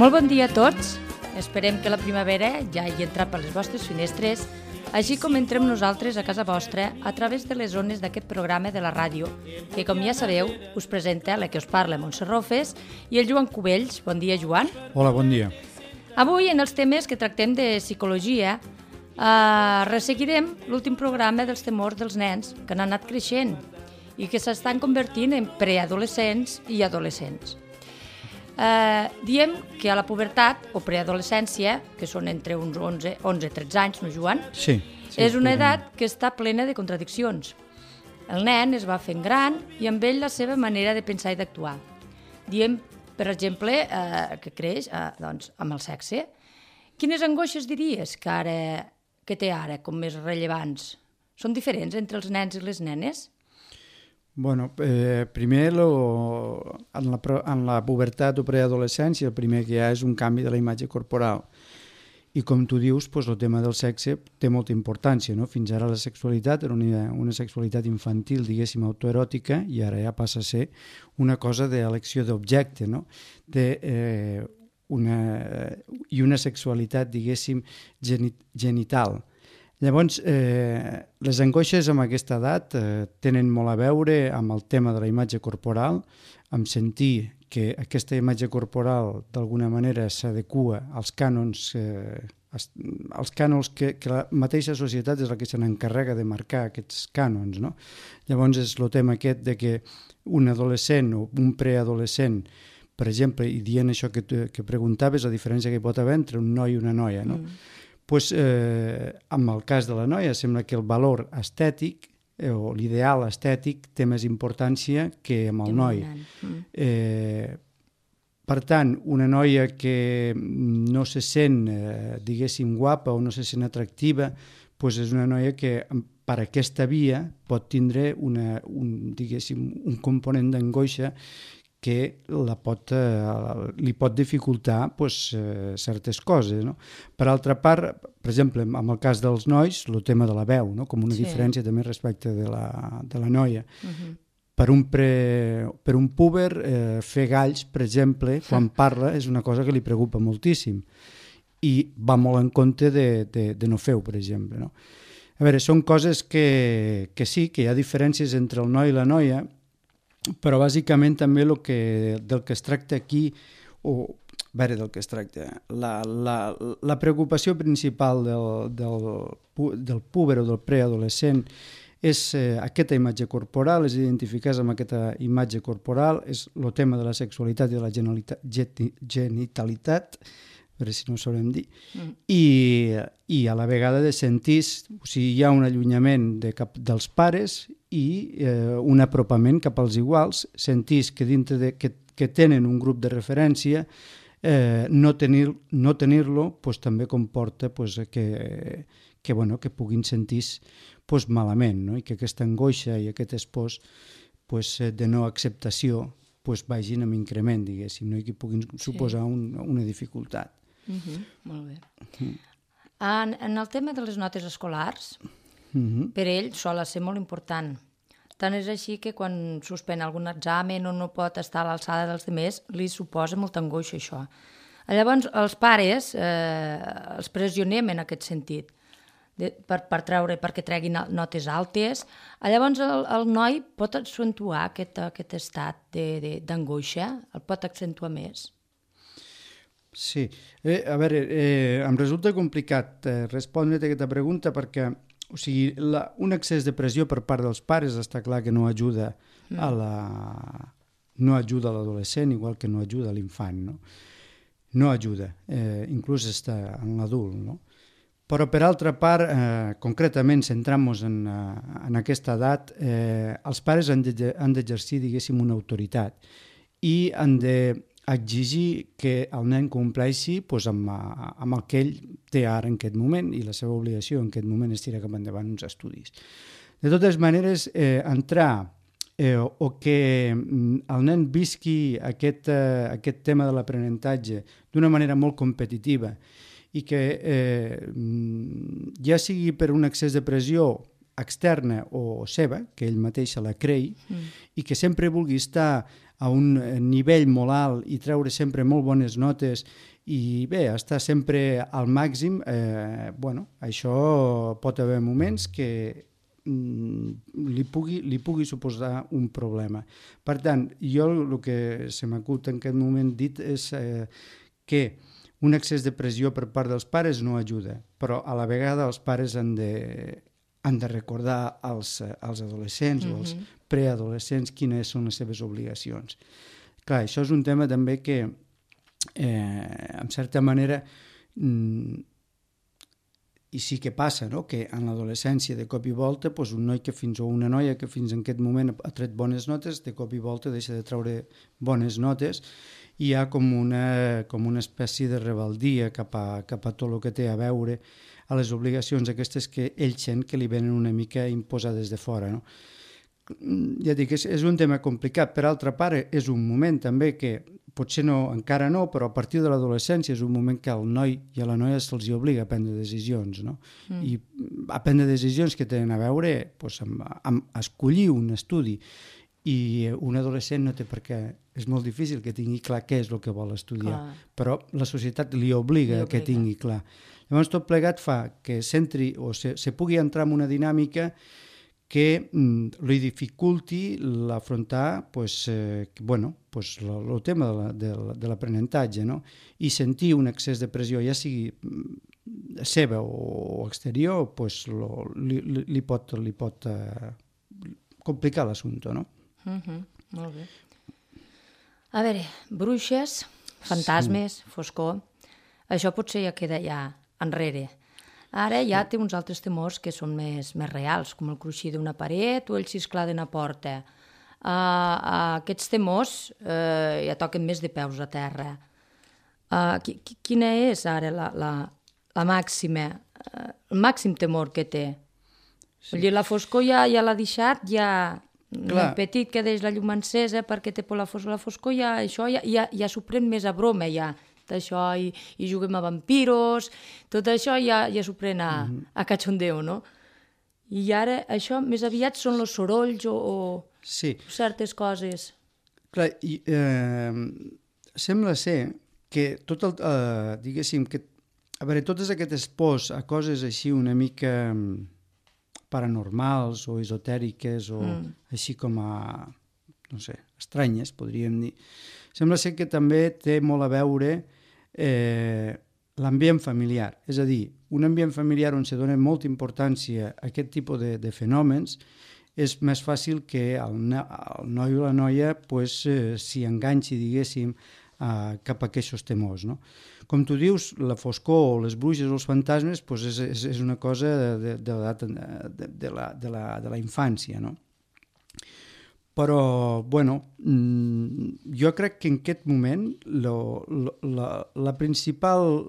Molt bon dia a tots. Esperem que la primavera ja hagi entrat per les vostres finestres, així com entrem nosaltres a casa vostra a través de les ones d'aquest programa de la ràdio, que, com ja sabeu, us presenta la que us parla, Montse Rofes, i el Joan Cubells. Bon dia, Joan. Hola, bon dia. Avui, en els temes que tractem de psicologia, resseguirem l'últim programa dels temors dels nens que han anat creixent i que s'estan convertint en preadolescents i adolescents. Diem que a la pubertat o preadolescència, que són entre uns 11-13 anys, no, Joan? Sí. És una edat que està plena de contradiccions. El nen es va fent gran i amb ell la seva manera de pensar i d'actuar. Diem, per exemple, que creix amb el sexe. Quines angoixes diries que té ara com més rellevants? Són diferents entre els nens i les nenes? Bueno, primer en la pubertat o preadolescència el primer que hi ha és un canvi de la imatge corporal i com tu dius, el tema del sexe té molta importància, no? Fins ara la sexualitat era una sexualitat infantil, diguéssim, autoeròtica, i ara ja passa a ser una cosa d'elecció d'objecte, no? I una sexualitat, diguéssim, genital. Llavors, les angoixes amb aquesta edat tenen molt a veure amb el tema de la imatge corporal, amb sentir que aquesta imatge corporal d'alguna manera s'adequa als cànons, que la mateixa societat és la que se n'encarrega de marcar aquests cànons, no? Llavors és el tema aquest de que un adolescent o un preadolescent, per exemple, i dient això que preguntaves, la diferència que hi pot haver entre un noi i una noia, no? En el cas de la noia sembla que el valor estètic o l'ideal estètic té més importància que amb el noi. Per tant, una noia que no se sent, diguéssim, guapa o no se sent atractiva, és una noia que per aquesta via pot tindre un component d'angoixa que li pot dificultar certes coses, no? Per altra part, per exemple, en el cas dels nois, el tema de la veu, no? Com una diferència també respecte de la noia. Per un púber, fer galls, per exemple, quan parla, és una cosa que li preocupa moltíssim i va molt en compte de no fer-ho, per exemple, no? A veure, són coses que sí, que hi ha diferències entre el noi i la noia, però bàsicament també del que es tracta aquí, del que es tracta, la preocupació principal del púber o del preadolescent és aquesta imatge corporal, és identificar-se amb aquesta imatge corporal, és el tema de la sexualitat i de la genitalitat, a veure si no ho sabrem dir, i a la vegada de sentir, o sigui, hi ha un allunyament dels pares i un apropament cap als iguals, sentís que dintre que tenen un grup de referència, no tenir-lo també comporta que puguin sentir malament, no? I que aquesta angoixa i aquest espòs de no acceptació vagin amb increment, diguéssim, no? I que puguin suposar una dificultat. Molt bé. En el tema de les notes escolars, per ell sol ser molt important. Tant és així que quan suspèn algun examen o no pot estar a l'alçada dels altres, li suposa molta angoixa això. Llavors, els pares els pressionem en aquest sentit, perquè treguin notes altes. Llavors, el noi pot accentuar aquest estat d'angoixa, el pot accentuar més. Sí, a veure, em resulta complicat respondre-te aquesta pregunta perquè un excés de pressió per part dels pares està clar que no ajuda no ajuda a l'adolescent igual que no ajuda a l'infant, no? No ajuda, inclús està en l'adult, no? Però per altra part, concretament centrant-nos en aquesta edat, els pares han d'exercir, diguéssim, una autoritat i han d'exigir que el nen compleixi amb el que ell té ara en aquest moment, i la seva obligació en aquest moment és tirar cap endavant uns estudis. De totes maneres, entrar o que el nen visqui aquest tema de l'aprenentatge d'una manera molt competitiva i que ja sigui per un excés de pressió externa o seva, que ell mateix se la creï, i que sempre vulgui estar a un nivell molt alt i treure sempre molt bones notes I bé, estar sempre al màxim, bueno, això pot haver moments que li pugui suposar un problema. Per tant, jo el que se m'acut en aquest moment dit és que un excés de pressió per part dels pares no ajuda, però a la vegada els pares han de recordar als adolescents o als preadolescents quines són les seves obligacions. Clar, això és un tema també que, en certa manera, i sí que passa, no?, que en l'adolescència de cop i volta doncs un noi o una noia que fins en aquest moment ha tret bones notes, de cop i volta deixa de treure bones notes i hi ha com una espècie de rebeldia cap a tot el que té a veure a les obligacions aquestes que ell sent que li venen una mica imposades de fora, no? Ja dic, és un tema complicat. Per altra part, és un moment també que potser encara no, però a partir de l'adolescència és un moment que al noi i a la noia se'ls obliga a prendre decisions, no? I a prendre decisions que tenen a veure amb escollir un estudi. I un adolescent no té per què, és molt difícil que tingui clar què és el que vol estudiar, però la societat li obliga que tingui clar. Llavors tot plegat fa que s'entri o se pugui entrar en una dinàmica que li dificulti l'afrontar el tema de l'aprenentatge, no? I sentir un excés de pressió, ja sigui seva o exterior, li pot complicar l'assumpte, no? Molt bé. A veure, bruixes, fantasmes, foscor, això potser ja queda ja enrere. Ara ja té uns altres temors que són més reals, com el cruixir d'una paret o el xisclar d'una porta. Aquests temors ja toquen més de peus a terra. Quina és ara la màxima, el màxim temor que té? Vull dir, la foscor ja l'ha deixat, ja el petit que deix la llum encesa perquè té por la foscor, això ja s'ho pren més a broma, ja. Això, i juguem a vampiros, tot això ja s'ho pren a cachondeo, no? I ara això més aviat són els sorolls o certes coses. Clar, sembla ser que tot el, diguéssim, que a veure, totes aquestes pors a coses així una mica paranormals o esotèriques o així com a, no sé, estranyes, podríem dir, sembla ser que també té molt a veure l'ambient familiar. És a dir, un ambient familiar on se dona molta importància a aquest tipus de fenòmens és més fàcil que el noi o la noia s'hi enganxi, diguéssim, cap a aquests temors, no? Com tu dius, la foscor o les bruixes o els fantasmes és una cosa de la infància, no? Però, bueno, jo crec que en aquest moment la principal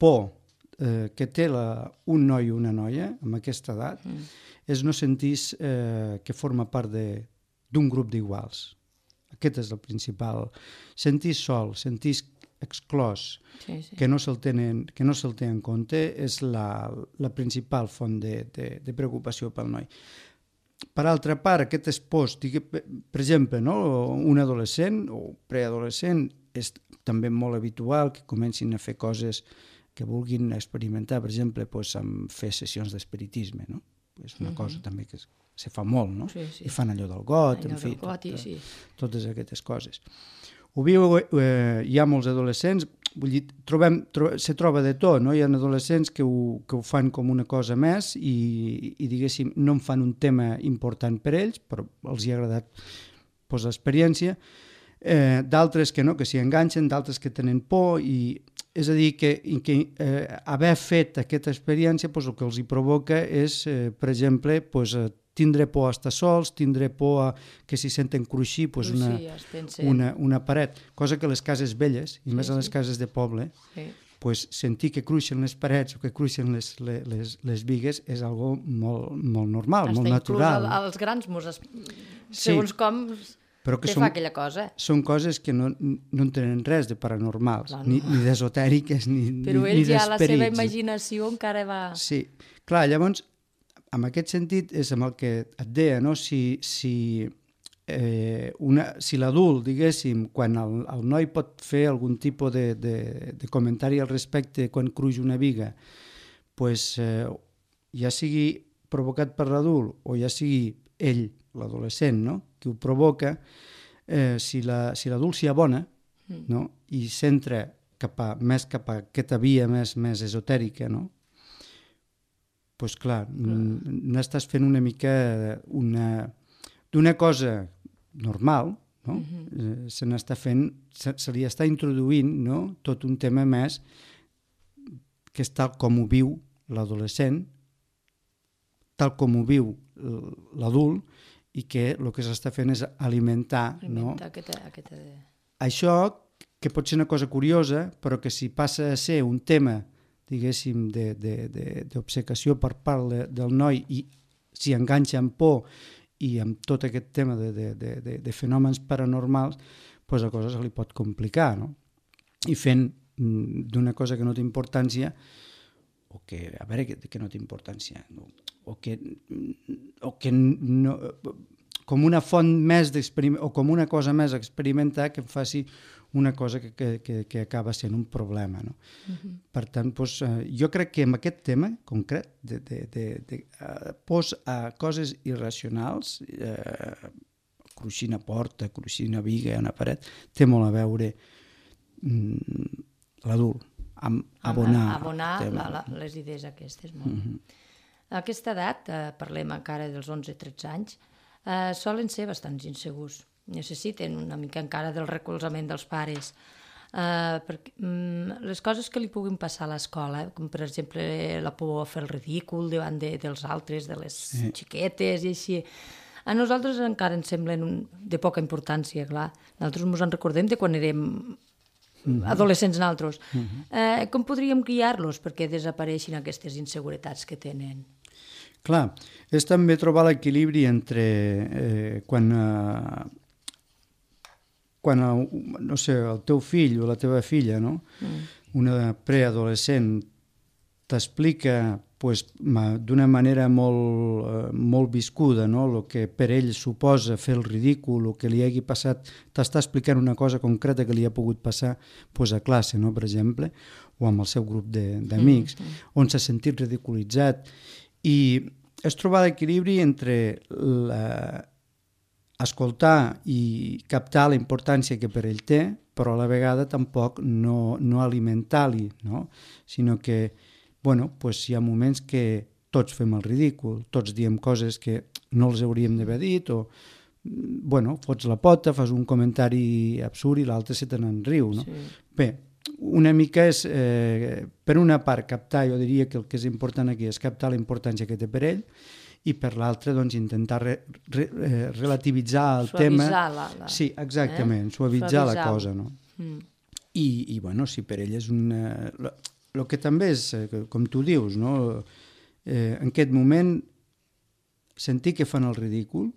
por que té un noi o una noia amb aquesta edat és no sentir que forma part d'un grup d'iguals. Aquest és el principal. Sentir sol, sentir exclòs, que no se'l té en compte, és la principal font de preocupació pel noi. Per altra part, aquestes pors, per exemple, no? Un adolescent o preadolescent és també molt habitual que comencin a fer coses que vulguin experimentar, per exemple, amb fer sessions d'espiritisme, no? És una cosa també que se fa molt, no? I fan allò del got, en fi, totes aquestes coses. Ho viu, hi ha molts adolescents, vull dir, se troba de tot, no? Hi ha adolescents que ho fan com una cosa més i diguéssim, no en fan un tema important per ells, però els hi ha agradat l'experiència, d'altres que no, que s'hi enganxen, d'altres que tenen por, i és a dir, que haver fet aquesta experiència el que els hi provoca és, per exemple, tindre por a estar sols, tindre por a que s'hi senten cruixir una paret, cosa que a les cases velles, i més a les cases de poble, sentir que cruixen les parets o que cruixen les bigues és algo molt normal, molt natural. Inclús als grans segons com te fa aquella cosa. Són coses que no en tenen res de paranormals, ni d'esotèriques, ni d'esperits. Però ell ja la seva imaginació encara va... Sí, clar, llavors, en aquest sentit és amb el que et deia, no? Si si l'adult, diguéssim, quan el noi pot fer algun tipus de comentari al respecte quan cruix una viga, pues, ja sigui provocat per l'adult o ja sigui ell, l'adolescent, no?, que ho provoca, si l'adult s'hi abona, no?, i s'entra més cap a aquesta via més esotèrica, no?, pues clar, n'estàs fent una mica d'una cosa normal, no? Se n'està fent, se li està introduint, no?, tot un tema més que és tal com ho viu l'adolescent, tal com ho viu l'adult, i que el que s'està fent és alimentar, no? Això, que pot ser una cosa curiosa, però que si passa a ser un tema, diguéssim, d'obcecació per part del noi, i s'hi enganxa amb por i amb tot aquest tema de fenòmens paranormals, doncs la cosa se li pot complicar, no? I fent d'una cosa que no té importància, o que, a veure, que no té importància, o que no, com una font més d'experiment, o com una cosa més a experimentar, que em faci una cosa que acaba sent un problema, no? Per tant, doncs, jo crec que amb aquest tema concret de pos a coses irracionals, cruixir una porta, cruixir una viga, una paret, té molt a veure l'adult, amb abonar les idees aquestes. A aquesta edat, parlem encara dels 11-13 anys, solen ser bastants insegurs. Necessiten una mica encara del recolzament dels pares. Perquè les coses que li puguin passar a l'escola, com per exemple la por a fer el ridícul davant dels altres, de les xiquetes i així, a nosaltres encara ens semblen de poca importància, clar. Nosaltres ens en recordem de quan érem adolescents nosaltres. Com podríem guiar-los perquè desapareixin aquestes inseguretats que tenen? Clar, és també trobar l'equilibri entre quan no sé, el teu fill o la teva filla, no? Una preadolescent t'explica d'una manera molt viscuda, no?, el que per ell suposa fer el ridícul, el que li hagi passat, t'està explicant una cosa concreta que li ha pogut passar a classe, no?, per exemple, o amb el seu grup d'amics, on s'ha sentit ridiculitzat. I és trobar l'equilibri entre escoltar i captar la importància que per ell té, però a la vegada tampoc no alimentar-li, no? Sinó que, bueno, pues hi ha moments que tots fem el ridícul, tots diem coses que no els hauríem d'haver dit, o, bueno, fots la pota, fas un comentari absurd i l'altre se te n'en riu, no? Sí. Bé, una mica és, per una part, captar, jo diria que el que és important aquí és captar la importància que té per ell, i per l'altra, doncs, intentar relativitzar el tema. Sí, exactament, suavitzar la cosa, no? I, bueno, si per ell és una... El que també és, com tu dius, no? En aquest moment, sentir que fan el ridícul,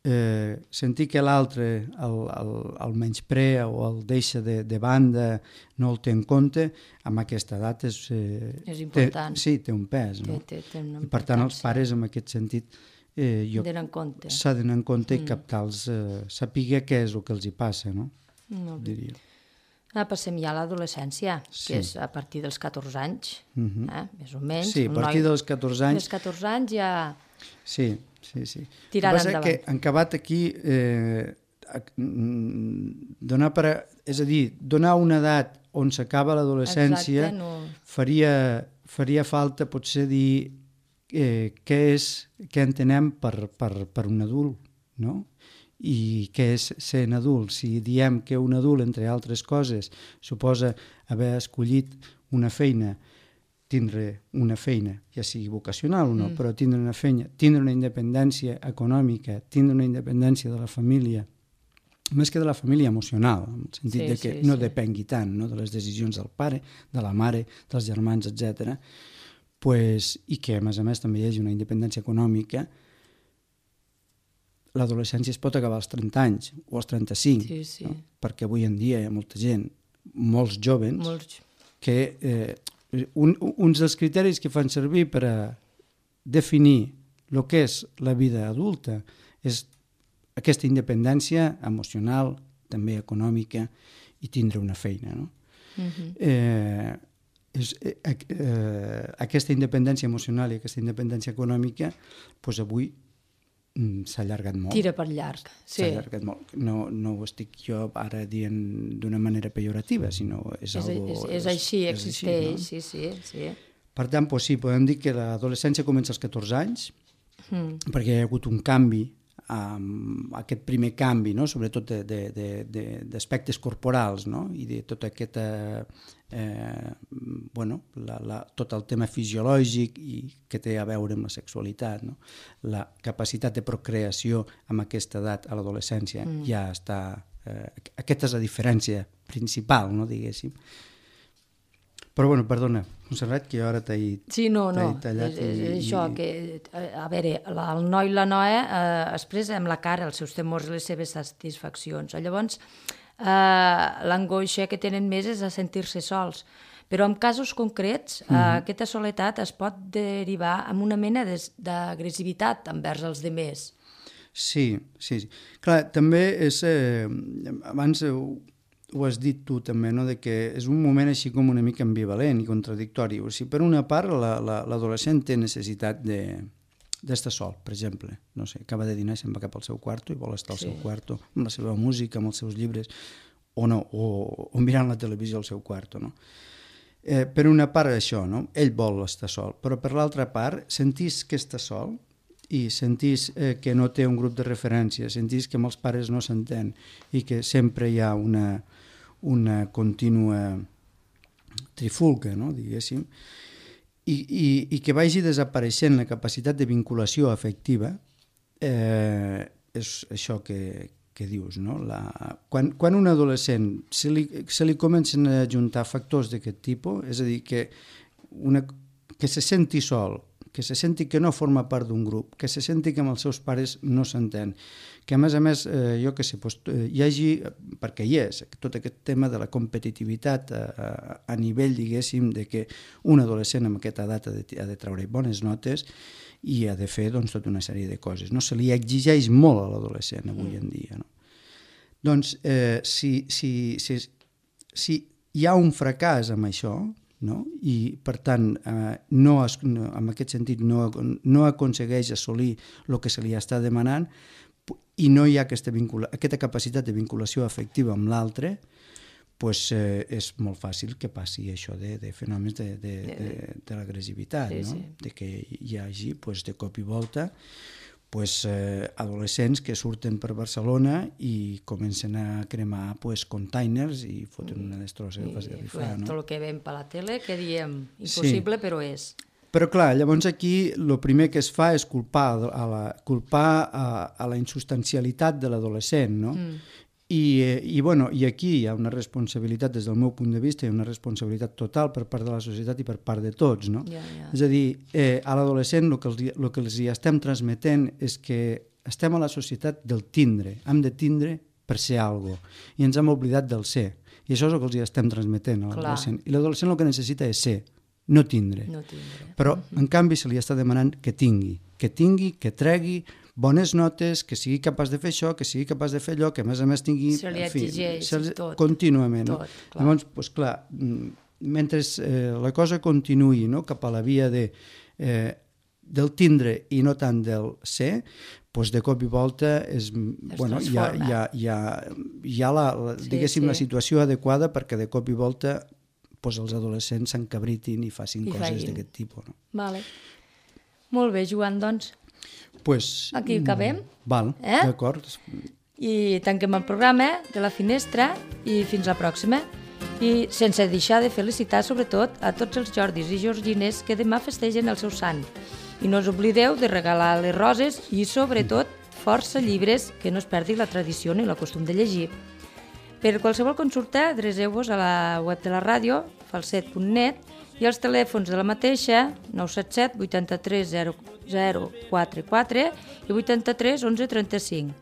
sentir que l'altre el menysprea o el deixa de banda, no el té en compte, amb aquesta edat és important. Té un pes, no? I per tant els pares en aquest sentit s'ha d'anar en compte i captar-los, saber què és el que els hi passa, no? Diria. Passem ja a l'adolescència, que és a partir dels 14 anys, més o menys. Sí, a partir dels 14 anys. Dels 14 anys ja... Sí. Tirant endavant. Que han acabat aquí és a dir, donar una edat on s'acaba l'adolescència faria falta potser dir què entenem per un adult, no? I què és ser un adult. Si diem que un adult, entre altres coses, suposa haver escollit una feina, tindre una feina, ja sigui vocacional o no, però tindre una feina, tindre una independència econòmica, tindre una independència de la família, més que de la família emocional, en el sentit de que no depengui tant, no?, de les decisions del pare, de la mare, dels germans, etc. I que, a més també hi hagi una independència econòmica. L'adolescència es pot acabar als 30 anys o als 35, no? Perquè avui en dia hi ha molta gent, molts jóvens, que... uns dels criteris que fan servir per a definir el que és la vida adulta és aquesta independència emocional, també econòmica, i tindre una feina, no? Aquesta independència emocional i aquesta independència econòmica, doncs avui s'ha allargat molt. Tira per llarg, sí. S'ha allargat molt. No ho estic jo ara dient d'una manera pejorativa, sinó és així, existeix, no? Sí. Per tant, doncs sí, podem dir que l'adolescència comença als 14 anys, perquè hi ha hagut un canvi, aquest primer canvi, no? Sobretot d'aspectes corporals, no? I de tota aquesta tot el tema fisiològic i que té a veure amb la sexualitat, no? La capacitat de procreació amb aquesta edat a l'adolescència ja està... Aquesta és la diferència principal, no? Diguéssim. Però, perdona, Montserrat, que jo ara t'he tallat. És això, que, a veure, el noi i la noia expressa amb la cara els seus temors i les seves satisfaccions. Llavors, l'angoixa que tenen més és a sentir-se sols. Però en casos concrets, aquesta soledat es pot derivar en una mena d'agressivitat envers els demés. Sí. Clar, també és... Abans ho has dit tu també, no? De que és un moment així com una mica ambivalent i contradictori. O sigui, per una part, l'adolescent té necessitat d'estar sol, per exemple. No sé, acaba de dinar i se'n va cap al seu quarto i vol estar al seu quarto, amb la seva música, amb els seus llibres, o mirant la televisió al seu quarto, no? Per una part, això, no? Ell vol estar sol, però per l'altra part, sentís que està sol i sentís que no té un grup de referència, sentís que amb els pares no s'entén i que sempre hi ha una contínua trifulca, no? Diguéssim, i que vagi desapareixent la capacitat de vinculació afectiva, és això que dius, no? Quan un adolescent se li comencen a juntar factors d'aquest tipus, és a dir, que se senti sol, que se senti que no forma part d'un grup, que se senti que amb els seus pares no s'entén, que a més, jo què sé, hi hagi, perquè hi és, tot aquest tema de la competitivitat a nivell, diguéssim, de que un adolescent amb aquesta edat ha de treure bones notes i ha de fer tota una sèrie de coses. No se li exigeix molt a l'adolescent avui en dia. No? Doncs, si hi ha un fracàs amb això, no? I per tant en aquest sentit no aconsegueix assolir el que se li està demanant i no hi ha aquesta capacitat de vinculació afectiva amb l'altre, doncs és molt fàcil que passi això de fenòmens de l'agressivitat, no? De que hi hagi de cop i volta adolescents que surten per Barcelona i comencen a cremar containers i foten una destrossa que fas de rifar. Tot el que veiem per la tele, que diem impossible, però és. Però clar, llavors aquí el primer que es fa és culpar a la insubstancialitat de l'adolescent, no? I aquí hi ha una responsabilitat, des del meu punt de vista, hi ha una responsabilitat total per part de la societat i per part de tots, no? És a dir, a l'adolescent el que els hi estem transmetent és que estem a la societat del tindre, hem de tindre per ser alguna cosa, i ens hem oblidat del ser, i això és el que els hi estem transmetent a l'adolescent. I l'adolescent el que necessita és ser, no tindre. Però, en canvi, se li està demanant que tingui, que tregui bones notes, que sigui capaç de fer això, que sigui capaç de fer allò, que a més tingui... Se li exigeix tot. Contínuament. Llavors, clar, mentre la cosa continuï cap a la via del tindre i no tant del ser, de cop i volta hi ha la situació adequada perquè de cop i volta els adolescents s'encabritin i facin coses d'aquest tipus. Vale. Molt bé, Joan, doncs. Aquí acabem. Val, d'acord. I tanquem el programa de la finestra i fins la pròxima. I sense deixar de felicitar sobretot a tots els Jordis i Georgines que demà festegen el seu sant. I no us oblideu de regalar les roses i sobretot força llibres, que no es perdi la tradició ni el costum de llegir. Per qualsevol consulta, adreceu-vos a la web de la ràdio, falset.net, i els telèfons de la mateixa, 977 83 0044 i 83 11 35.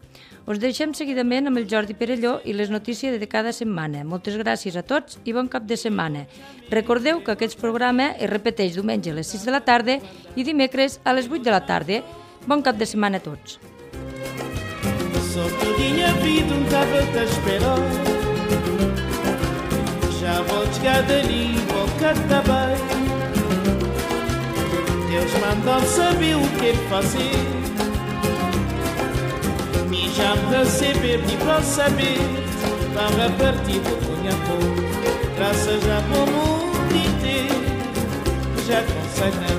Us deixem seguidament amb el Jordi Perelló i les notícies de cada setmana. Moltes gràcies a tots i bon cap de setmana. Recordeu que aquest programa es repeteix diumenge a les 6 de la tarda i dimecres a les 8 de la tarda. Bon cap de setmana a tots. Só tudinha vida tava-te a esperar. Já vou chegar dali, vou cantar bem. Deus mandou saber o que fazer. Me já me receber, me para saber. Para partir do cunha-pô. Graças a bom mundo inteiro. Já consegue